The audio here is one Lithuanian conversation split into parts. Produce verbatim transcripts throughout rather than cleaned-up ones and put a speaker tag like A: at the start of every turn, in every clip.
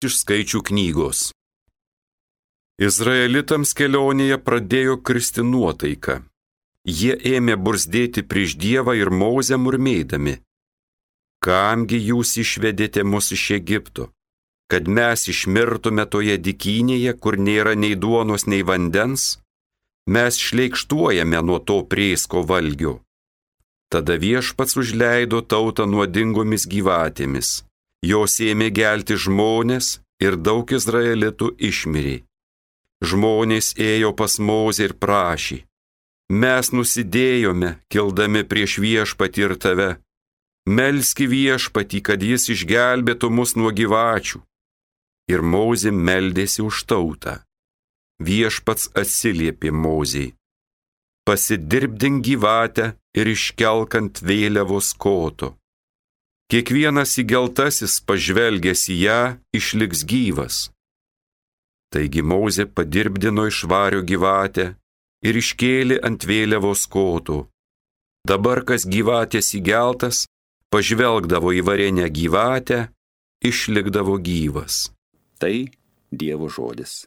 A: Iš Skaičių knygos. Izraelitams kelionėje pradėjo kristi nuotaika. Jie ėmė burzdėti prieš Dievą ir Mozę murmėdami: Kamgi jūs išvedėte mus iš Egipto, kad mes išmirtume toje dykynėje, kur nėra nei duonos, nei vandens? Mes šleikštuojame nuo to prėsko valgio. Tada Viešpats užleido tautą nuodingomis gyvatėmis. Jos ėmė gelti žmonės ir daug izraelitų išmirė. Žmonės ėjo pas Mozę ir prašė: Mes nusidėjome, kildami prieš Viešpatį ir tave. Melski Viešpatį, kad jis išgelbėtų mus nuo gyvačių. Ir Mozė meldėsi už tautą. Viešpats atsiliepė Mozei: Pasidirbdink gyvatę ir iškelk ant vėliavos koto. Kiekvienas įgeltasis pažvelgęs į ją išliks gyvas. Taigi Mozė padirbdino iš vario gyvatę ir iškėlė ant vėliavos koto. Dabar kas gyvatės įgeltas, pažvelgdavo į varinę gyvatę, išlikdavo gyvas.
B: Tai Dievo žodis.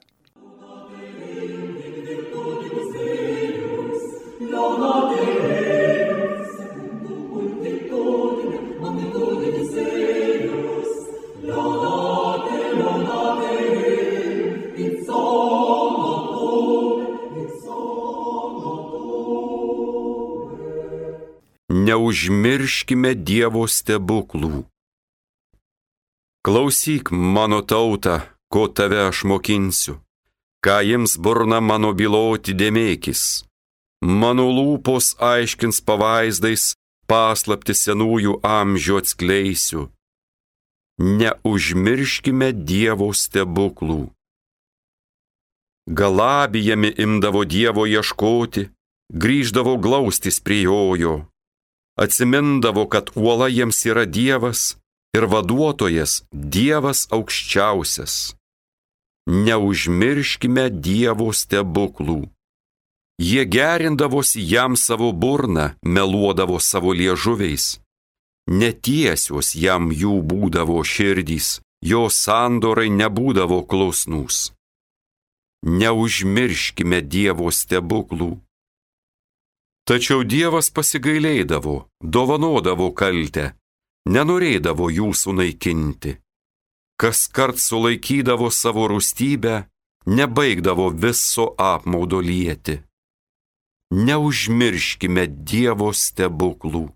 A: Neužmirškime Dievo stebuklų. Klausyk, mano tauta, ko tave aš mokinsiu, ką jiems burna mano byloti dėmėkis. Mano lūpos aiškins pavaizdais, paslapti senųjų amžių atskleisiu. Neužmirškime Dievo stebuklų. Galabijami imdavo Dievo ieškoti, grįždavo glaustis prie jojo. Atsimindavo, kad uola jiems yra Dievas ir vaduotojas Dievas aukščiausias. Neužmirškime Dievo stebuklų. Jie gerindavosi jam savo burną, meluodavo savo liežuviais. Netiesios jam jų būdavo širdys, jo sandorai nebūdavo klusnūs. Neužmirškime Dievo stebuklų. Tačiau Dievas pasigailėdavo, dovanodavo kaltę, nenorėdavo jų sunaikinti. Kaskart sulaikydavo savo rūstybę, nebaigdavo viso apmaudo lieti. Neužmirškime Dievo stebuklų.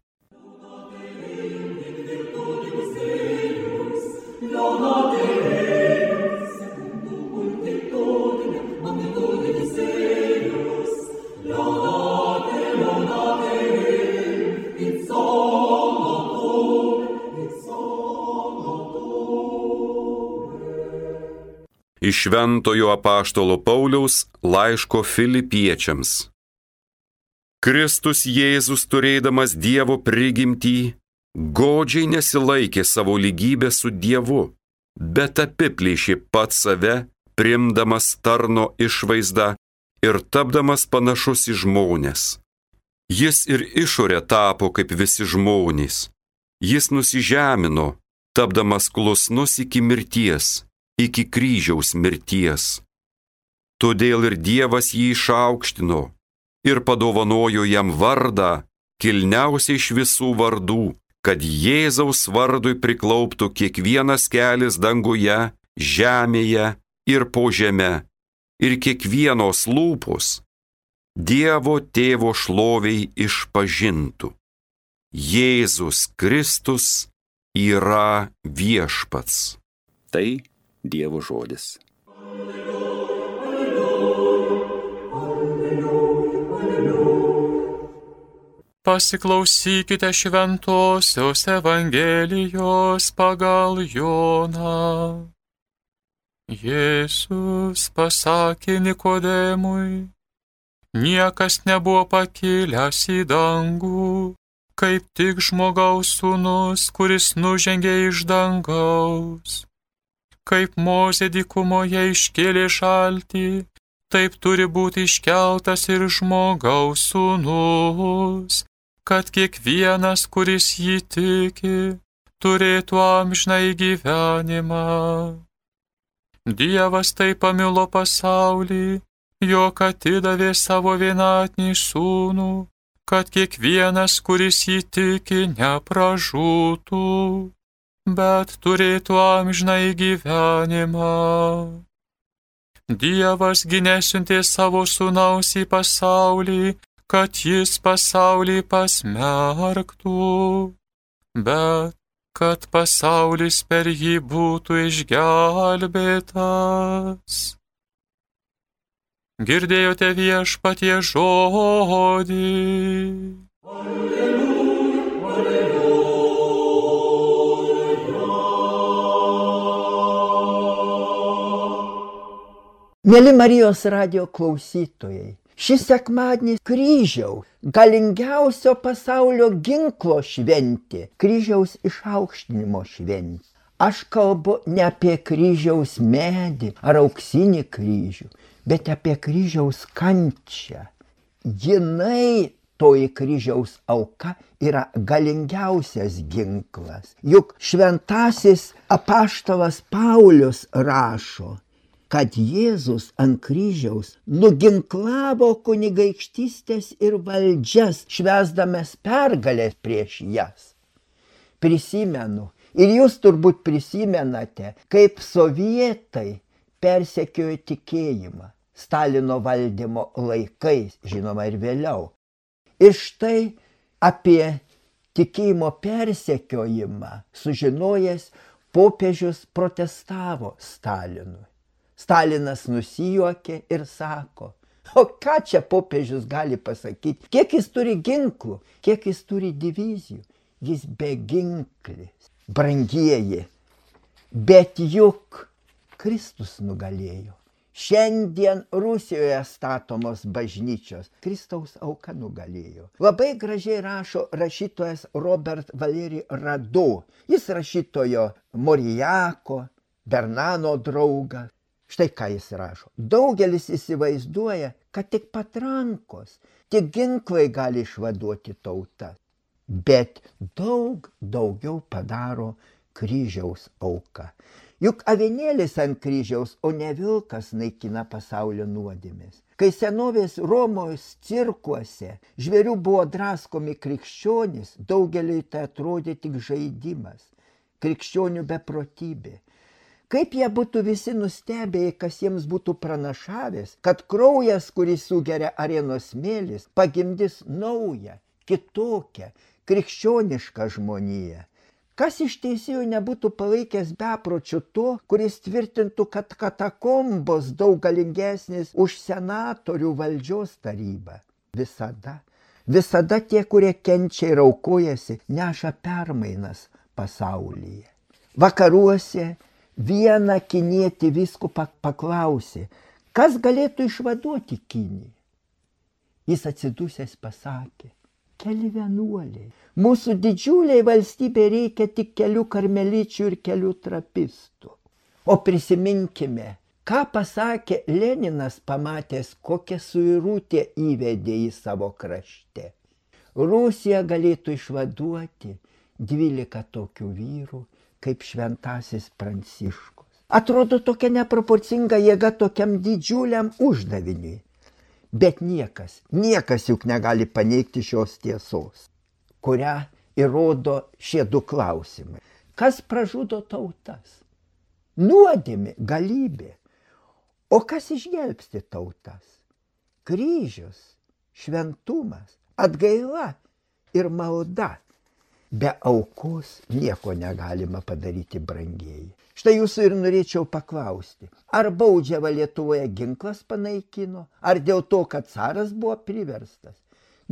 A: Iš Šventojo apaštalo Pauliaus laiško Filipiečiams. Kristus Jėzus, turėdamas Dievo prigimtį, godžiai nesilaikė savo lygybės su Dievu, bet apiplėšė pats save, priimdamas tarno išvaizdą ir tapdamas panašus į žmones. Jis ir išorė tapo kaip visi žmonės. Jis nusižemino, tapdamas klusnus iki mirties, iki kryžiaus mirties. Todėl ir Dievas jį išaukštino ir padovanojo jam vardą, kilniausiai iš visų vardų, kad Jėzaus vardui priklauptų kiekvienas kelis danguje, žemėje ir po žeme, ir kiekvienos lūpos Dievo Tėvo šloviai išpažintų: Jėzus Kristus yra viešpats.
B: Tai Dievo žodis.
C: Pasiklausykite šventosios Evangelijos pagal Joną. Jėzus pasakė Nikodemui: Niekas nebuvo pakilęs į dangų, kaip tik žmogaus sūnus, kuris nužengė iš dangaus. Kaip Mozė dykumoje iškėlė šaltį, taip turi būti iškeltas ir žmogaus sūnus, kad kiekvienas, kuris jį tiki, turėtų amžinąjį gyvenimą. Dievas taip pamilo pasaulį, jog atidavė savo vienatinį sūnų, kad kiekvienas, kuris jį tiki, nepražūtų, bet turėtų amžinąjį gyvenimą. Dievas gi nesiuntė savo sūnaus į pasaulį, kad jis pasaulį pasmerktų, bet kad pasaulis per jį būtų išgelbėtas. Girdėjote Viešpaties žodį.
D: Mieli Marijos radijo klausytojai, šis sekmadienis kryžiaus, galingiausio pasaulio ginklo šventė, kryžiaus išaukštinimo šventė. Aš kalbu ne apie kryžiaus medį ar auksinį kryžių, bet apie kryžiaus kančią. Jinai, toji kryžiaus auka, yra galingiausias ginklas. Juk šventasis apaštalas Paulius rašo, kad Jėzus ant kryžiaus nuginklavo kunigaikštystės ir valdžias, švęsdamas pergalės prieš jas. Prisimenu, ir jūs turbūt prisimenate, kaip sovietai persekiojo tikėjimą Stalino valdymo laikais, žinoma ir vėliau. Ir štai apie tikėjimo persekiojimą sužinojęs popiežius protestavo Stalinui. Stalinas nusijuokė ir sako, o ką čia popiežius gali pasakyti, kiek jis turi ginklų, kiek jis turi divizijų, jis beginklis, brangieji, bet juk Kristus nugalėjo. Šiandien Rusijoje statomos bažnyčios Kristaus auka nugalėjo. Labai gražiai rašo rašytojas Robert Valeri Rado, jis rašytojo Morijako, Bernano draugas. Štai ką jis rašo. Daugelis įsivaizduoja, kad tik patrankos, tik ginklai gali išvaduoti tautą. Bet daug daugiau padaro kryžiaus auka. Juk avinėlis ant kryžiaus, o ne vilkas naikina pasaulio nuodėmes. Kai senovės Romos cirkuose žvėrių buvo draskomi krikščionys, daugeliui tai atrodė tik žaidimas, krikščionių beprotybė. Kaip jie būtų visi nustebėję, kas jiems būtų pranašavęs, kad kraujas, kurį sugeria arenos smėlis, pagimdys naują, kitokią, krikščionišką žmoniją. Kas iš teisėjų nebūtų palaikęs bepročių to, kuris tvirtintų, kad katakombos daug galingesnis už senatorių valdžios tarybą. Visada, visada tie, kurie kenčia ir aukojasi, neša permainas pasaulyje. Vakaruose vieną kinietį vyskupą paklausė, kas galėtų išvaduoti Kiniją. Jis atsidusęs pasakė, keli vienuoliai. Mūsų didžiuliai valstybė reikia tik kelių karmeličių ir kelių trapistų. O prisiminkime, ką pasakė Leninas pamatęs, kokią suirutę įvedė į savo krašte. Rusija galėtų išvaduoti dvylika tokių vyrų, kaip šventasis Pranciškus. Atrodo tokia neproporcinga jėga tokiam didžiuliam uždaviniui. Bet niekas, niekas juk negali paneigti šios tiesos, kurią įrodo šie du klausimai. Kas pražudo tautas? Nuodėmė, galybė. O kas išgelbsti tautas? Kryžius, šventumas, atgaila ir malda. Be aukos nieko negalima padaryti, brangieji. Štai jūsų ir norėčiau paklausti, ar baudžiavą Lietuvoje ginklas panaikino, ar dėl to, kad caras buvo priverstas?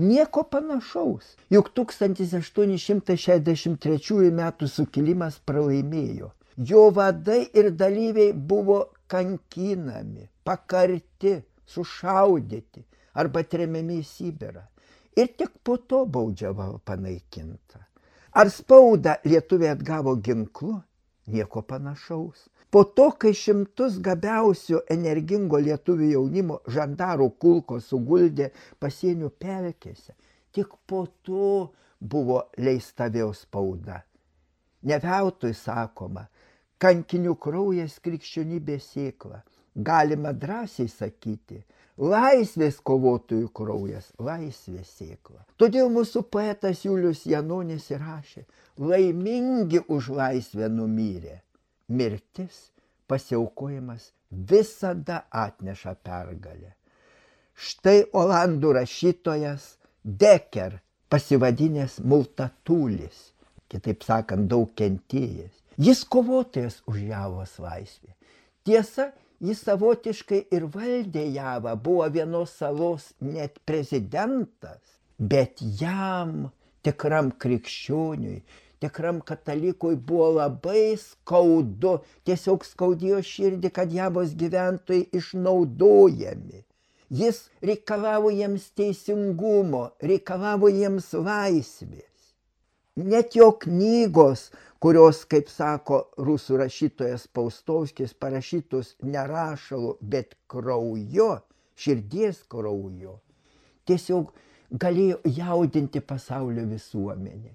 D: Nieko panašaus, juk tūkstantis aštuoni šimtai šešiasdešimt trečiųjų metų sukilimas pralaimėjo. Jo vadai ir dalyviai buvo kankinami, pakarti, sušaudyti arba tremiami į Sibirą. Ir tik po to baudžiava panaikinta. Ar spaudą lietuviai atgavo ginklu? Nieko panašaus. Po to, kai šimtus gabiausių energingo lietuvių jaunimo žandarų kulkos suguldė pasienio pelkėse, tik po to buvo leista vėl spauda. Ne veltui sakoma, kankinių kraujas krikščionybės sėkla. Galima drąsiai sakyti, laisvės kovotojų kraujas, laisvės sėkla. Todėl mūsų poetas Julius Janonis rašė, laimingi už laisvę numyrė. Mirtis, pasiaukojimas visada atneša pergalę. Štai olandų rašytojas Deker, pasivadinęs Multatulis, kitaip sakant, daug kentėjęs. Jis kovotojas už Javos laisvę. Tiesa, jis savotiškai ir valdė Javą, buvo vienos salos net prezidentas, bet jam, tikram krikščioniui, tikram katalikui buvo labai skaudu, tiesiog skaudėjo širdį, kad Javos gyventojai išnaudojami. Jis reikalavo jiems teisingumo, reikalavo jiems laisvės. Net jo knygos, kurios, kaip sako rusų rašytojas Paustovskis, parašytos ne rašalu, bet krauju, širdies krauju, tiesiog galėjo jaudinti pasaulio visuomenę.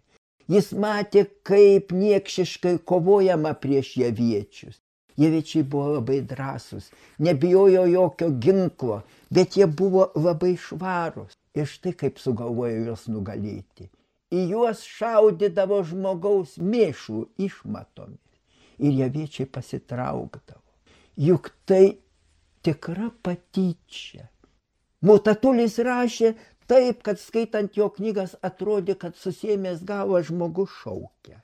D: Jis matė, kaip niekšiškai kovojama prieš javiečius. Javiečiai buvo labai drąsūs, nebijojo jokio ginklo, bet jie buvo labai švarūs. Ir štai kaip sugalvojo juos nugalėti. Į juos šaudydavo žmogaus mėšlų išmatomis. Ir javiečiai pasitraukdavo. Juk tai tikra patyčia. Multatulis rašė taip, kad skaitant jo knygas atrodė, kad susiėmęs galvą žmogus šaukia.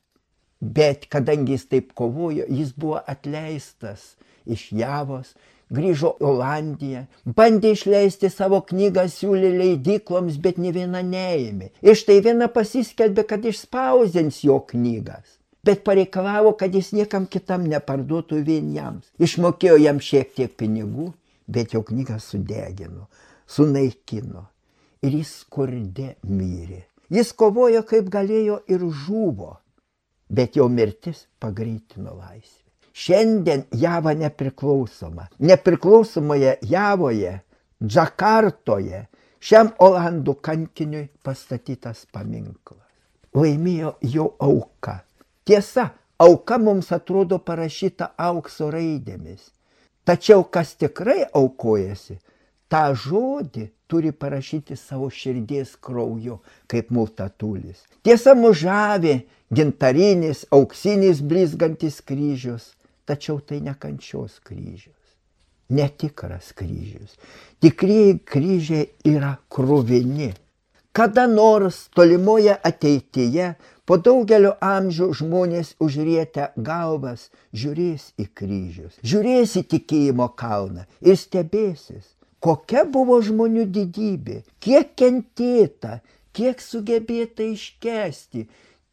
D: Bet kadangi jis taip kovojo, jis buvo atleistas iš Javos, grįžo į Olandiją, bandė išleisti savo knygą, siūlė leidykloms, bet nė viena neėmė. Ir štai viena pasiskelbė, kad išspausdins jo knygas, bet pareikalavo, kad jis niekam kitam neparduotų vien jam. Išmokėjo jam šiek tiek pinigų, bet jo knygą sudegino, sunaikino ir jis skurde mirė. Jis kovojo kaip galėjo ir žuvo. Bet jo mirtis pagreitino laisvę. Šiandien Java nepriklausoma. Nepriklausomoje Javoje, Džakartoje, šiam olandų kankiniui pastatytas paminklas. Laimėjo jo auka. Tiesa, auka mums atrodo parašyta aukso raidėmis. Tačiau kas tikrai aukojasi, tą žodį turi parašyti savo širdies krauju, kaip Multatulis. Tiesa, mus žavi gintarinis, auksinis blizgantis kryžius, tačiau tai ne kančios kryžius, netikras kryžius. Tikrieji kryžiai yra kruvini. Kada nors tolimoje ateityje, po daugelio amžių žmonės užrietę galvas žiūrės į kryžius, žiūrės į tikėjimo kalną ir stebėsis, kokia buvo žmonių didybė, kiek kentėta, kiek sugebėta iškęsti,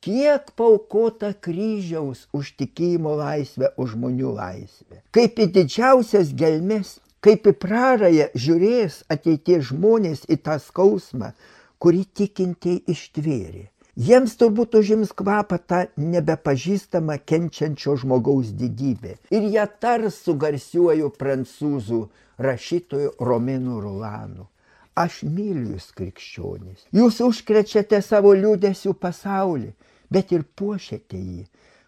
D: kiek paaukota kryžiaus už tikėjimo laisvę, už žmonių laisvę. Kaip į didžiausias gelmes, kaip į prarają žiūrės ateities žmonės į tą skausmą, kurį tikintieji ištvėrė. Jiems turbūt užims kvapą tą nebepažįstamą kenčiančio žmogaus didybę. Ir jie tars su garsiuoju prancūzų rašytoju Romenu Rolanu. Aš myliu jūs, krikščionys. Jūs užkrečiate savo liūdesių pasaulį, bet ir puošiate jį.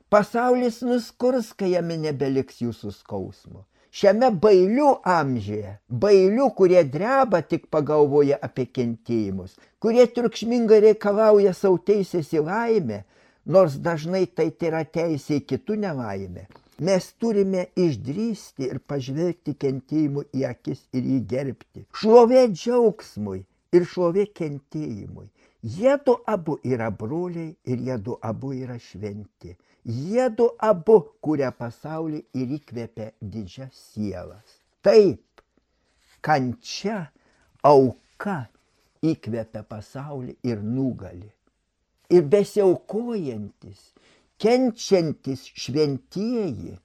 D: Pasaulis nuskurs, kai jame nebeliks jūsų skausmo. Šiame bailių amžiuje, bailių, kurie dreba tik pagalvoja apie kentėjimus, kurie triukšmingai reikalauja savo teisės į laimę, nors dažnai tai yra teisė į kitų nelaimę, mes turime išdrįsti ir pažvelgti kentėjimui į akis ir jį gerbti. Šlovė džiaugsmui ir šlovė kentėjimui. Jiedu abu yra broliai ir jiedu abu yra šventi. Jiedu abu kuria pasaulį ir įkvėpia didžias sielas. Taip, kančia, auka įkvėpia pasaulį ir nugali. Ir besiaukojantis, kenčiantis šventieji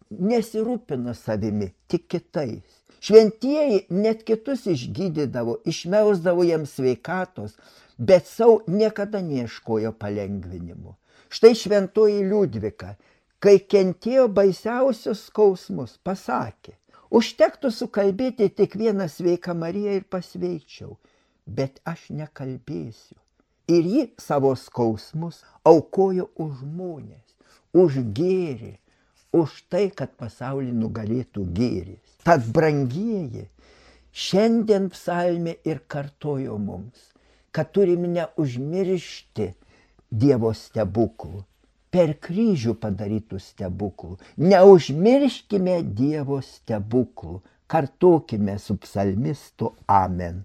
D: nesirūpina savimi, tik kitais. Šventieji net kitus išgydydavo, išmelsdavo jiems sveikatos, bet savo niekada neieškojo palengvinimo. Štai šventoji Liudvika, kai kentėjo baisiausius skausmus, pasakė, užtektų sukalbėti tik vieną sveiką Mariją ir pasveikčiau, bet aš nekalbėsiu. Ir ji savo skausmus aukojo už žmonės, už gėrį, už tai, kad pasaulį nugalėtų gėris. Tad, brangieji, šiandien psalmė ir kartojo mums, kad turime neužmiršti Dievo stebuklų, per kryžių padarytų stebuklų. Neužmirškime Dievo stebuklų, kartokime su psalmistu amen.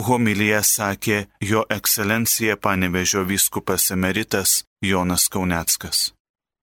E: Homiliją sakė jo ekscelencija Panevėžio vyskupas emeritas Jonas Kauneckas.